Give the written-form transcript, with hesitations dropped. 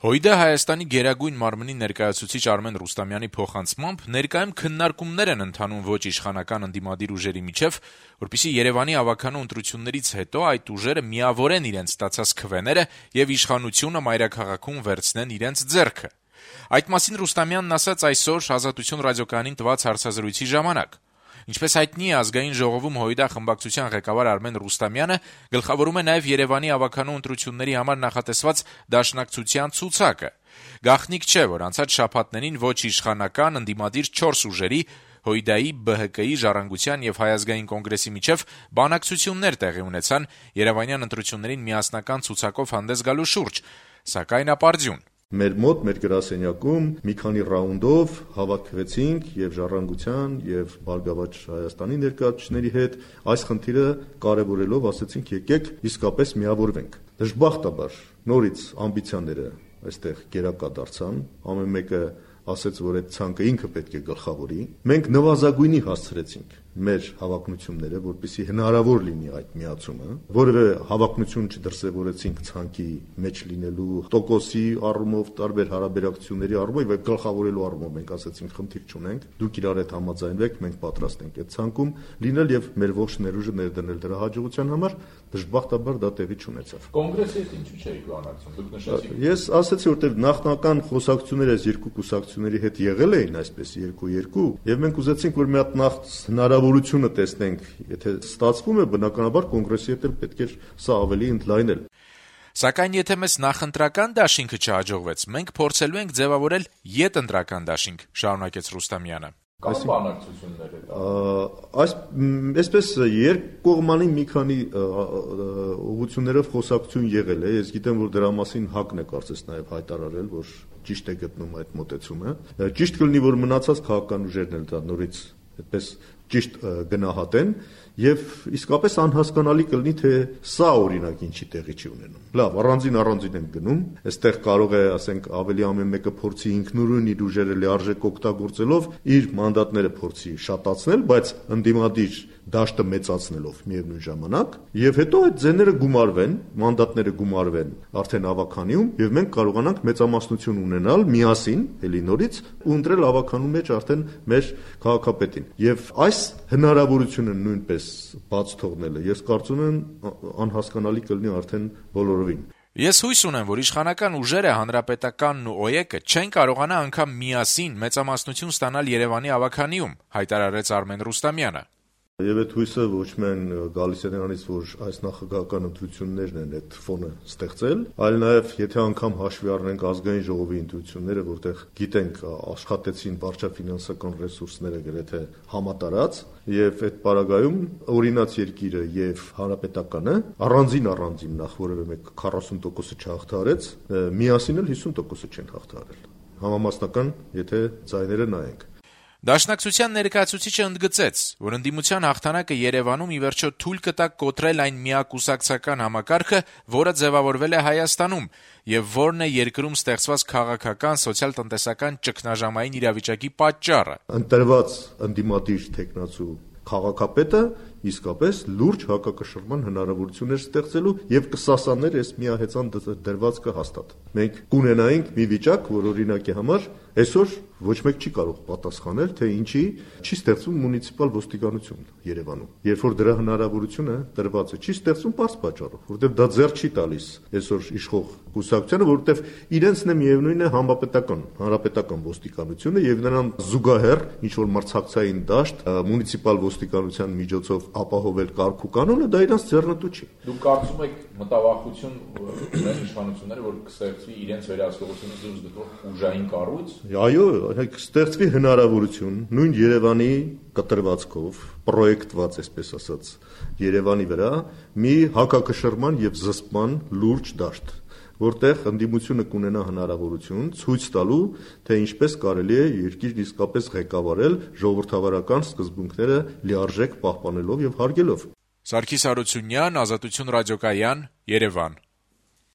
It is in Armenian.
ՀՅԴ Հայաստանի գերագույն մարմնի ներկայացուցիչ Արմեն Ռուստամյանի փոխանցմամբ ներկայում քննարկումներ են ընթանում ոչ իշխանական ընդդիմադիր ուժերի միջև, որպեսզի Երեւանի ավագանու ընտրություններից հետո այդ ուժերը միավորեն իրենց ստացած քվեները եւ իշխանությունը մայրաքաղաքում վերցնեն իրենց ձեռքը։ Այդ մասին Ռուստամյանն ասաց այսօր Ազատություն ռադիոկայանին տված հարցազրույցի ժամանակ։ Ինչպես հայտնի է, Ազգային ժողովում ՀՅԴ խմբակցության ղեկավար Արմեն Ռուստամյանը գլխավորում է նաև Երևանի ավագանու ընտրությունների համար նախատեսված դաշնակցության ցուցակը։ Գաղտնիք չէ, որ անցած շաբաթներին ոչ իշխանական ընդդիմադիր 4 ուժերի ՀՅԴ-ի, ԲՀԿ-ի, Ժառանգության եւ Հայ ազգային կոնգրեսի միջև բանակցություններ տեղի ունեցան Երևանյան ընտրություններին միասնական ցուցակով հանդես գալու շուրջ, սակայն ապարդյուն։ Մեր մոտ, մեր գրասենյակում մի քանի ռաունդով հավաքվեցինք եւ Ժառանգության եւ Բարգավաճ Հայաստանի ներկայացուցիչների հետ այս խնդիրը կարեւորելով ասացինք եկեք իսկապես միավորվենք։ Դժբախտաբար նորից ամբիցիաները այստեղ գերակա դարձան, ամեն մեկը ասաց, որ այդ ցանկը ինքը պետք է գլխավորի։ Մենք նվազագույնի հասցրեցինք մեր հավակնությունները, որպեսզի հնարավոր լինի այդ միացումը, որևէ հավակնություն չդրսևորեցինք ցանկի մեջ լինելու տոկոսի առումով, տարբեր հարաբերակցությունների առումով եւ գլխավորելու առումով մենք ասացինք խնդիր չունենք, դուք իրար հետ համաձայնվեք, մենք պատրաստ ենք այդ ցանկում լինել եւ մեր ողջ ներուժը ներդնել դրա հաջողության համար, դժբախտաբար դա տեղի չունեցավ։ Կոնգրեսի հետ ինչու՞ չէիք բանակցում, դուք նշեցիք։ Ես ասացի, որտեղ նախնական խոսակցությունները այս երկու կուսակցությունների հետ եղել էին այսպես 2-2 եւ մենք ուզեցինք, որ մի հատ նախ հնարավորությունը տեսնենք, եթե ստացվում է, բնականաբար կոնգրեսի հետ էլ պետք է սա ավելի ընդլայնել։ Սակայն եթե մեզ նախընտրական դաշինքը չհաջողվեց, մենք փորձելու ենք ձևավորել յետընտրական դաշինք, շարունակեց Ռուստամյանը։ Կան բանակցություններ այսպես երկկողմանի մի քանի ուղղություններով խոսակցություն եղել է, ես գիտեմ, որ դրա մասին ՀԱԿ-ն է կարծես նաև հայտարարել, որ ճիշտ է գտնում այդ մոտեցումը։ Ճիշտ կլինի, որ մնացած քաղաքական ուժերն էլ դա նորից այդպես ճիշտ գնահատեն եւ իսկապես անհասկանալի կլինի, թե սա օրինակ ինչի տեղի չի ունենում։ Լավ, առանձին են գնում, այստեղ կարող է, ասենք, ավելի ամեն մեկը փորձի ինքնուրույն իր ուժերը լիարժեք օգտագործելով իր մանդատները փորձի շատացնել, բայց ընդդիմադիր դաշտը մեծացնելով միևնույն ժամանակ, եւ հետո այդ ձեները գումարվեն, մանդատները գումարվեն արդեն ավականիում, եւ մենք կարողանանք մեծամասնություն ունենալ միասին, էլի նորից ու ընտրել ավականու մեջ արդեն մեր քաղաքապետին։ Եվ այս հնարավորությունը նույնպես բաց թողնելը, ես կարծում եմ անհասկանալի կլինի արդեն բոլորովին։ Ես հույս ունեմ, որ իշխանական ուժերը, Հանրապետականն ու ՕԵԿ-ը չեն կարողանա անգամ միասին մեծամասնություն ստանալ Երևանի ավականիում, հայտարարեց Արմեն Ռուստամյանը։ Եվ այդ հույսը ոչ միայն գալիս է նրանից, որ այս նախագահական ընտրություններն են այդ ֆոնը ստեղծել, այլ նաև եթե անգամ հաշվի առնենք ազգային ժողովի ընտրությունները, որտեղ գիտենք աշխատեցին վարչաֆինանսական ռեսուրսները գրեթե համատարած, եւ այդ պարագայում օրինաց երկիրը եւ հանրապետականը առանձին նախ որևէ մեկ 40%-ը չհաղթահարեց, միասին էլ 50%-ը չեն հաղթահարել։ Համամասնական, եթե ձայները նայենք։ Դաշնակցության ներկայացուցիչը ընդգծեց, որ ընդդիմության հաղթանակը Երևանում ի վերջո թույլ կտա կոտրել այն միակուսակցական համակարգը, որը ձևավորվել է Հայաստանում, եւ որն է երկրում ստեղծված քաղաքական, սոցիալ-տնտեսական ճգնաժամային իրավիճակի պատճառը։ Ընտրված ընդդիմադիր թեկնածու քաղաքապետը իսկապես լուրջ հակակշռման հնարավորություններ ստեղծելու եւ կսասաներ այս միահեծան դրվածքը հաստատ։ Մենք կունենայինք մի վիճակ, որ օրինակի համար այսօր ոչ մեկ չի կարող պատասխանել, թե ինչի չի ստեղծվում մունիցիպալ ոստիկանություն Երևանում։ Երբ որ դրա հնարավորությունը տրված է, չի ստեղծվում բարձ պատճառով, որովհետեւ դա ձեռ չի տալիս այսօր իշխող կուսակցությանը, որովհետեւ իրենցն է միևնույնն է հանրապետական ոստիկանությունը եւ նրան զուգահեռ ինչ որ մրցակցային դաշտ մունիցիպալ ոստիկանության միջոցով ապահովել կարգ ու կանոնը, դա իրանց ձեռնտու չի։ Դուք կարծում եք մտավախություն ունեն իշխանությունները, որ կստեղծվի իրենց վերահսկողությունը դուրս գտող ուժային կառույց։ Այո, ստեղծվի հնարավորություն նույն Երևանի կտրվածքով պրոյեկտված, այսպես ասած, Երևանի վրա մի հակակշռման եւ զսպման լուրջ դաշտ, որտեղ ընդդիմությունը կունենա հնարավորություն ցույց տալու, թե ինչպես կարելի է երկիրն իսկապես ղեկավարել ժողովրդավարական սկզբունքները լիարժեք պահպանելով եւ հարգելով։ Սարգիս Հարությունյան, Ազատություն ռադիոկայան, Երևան։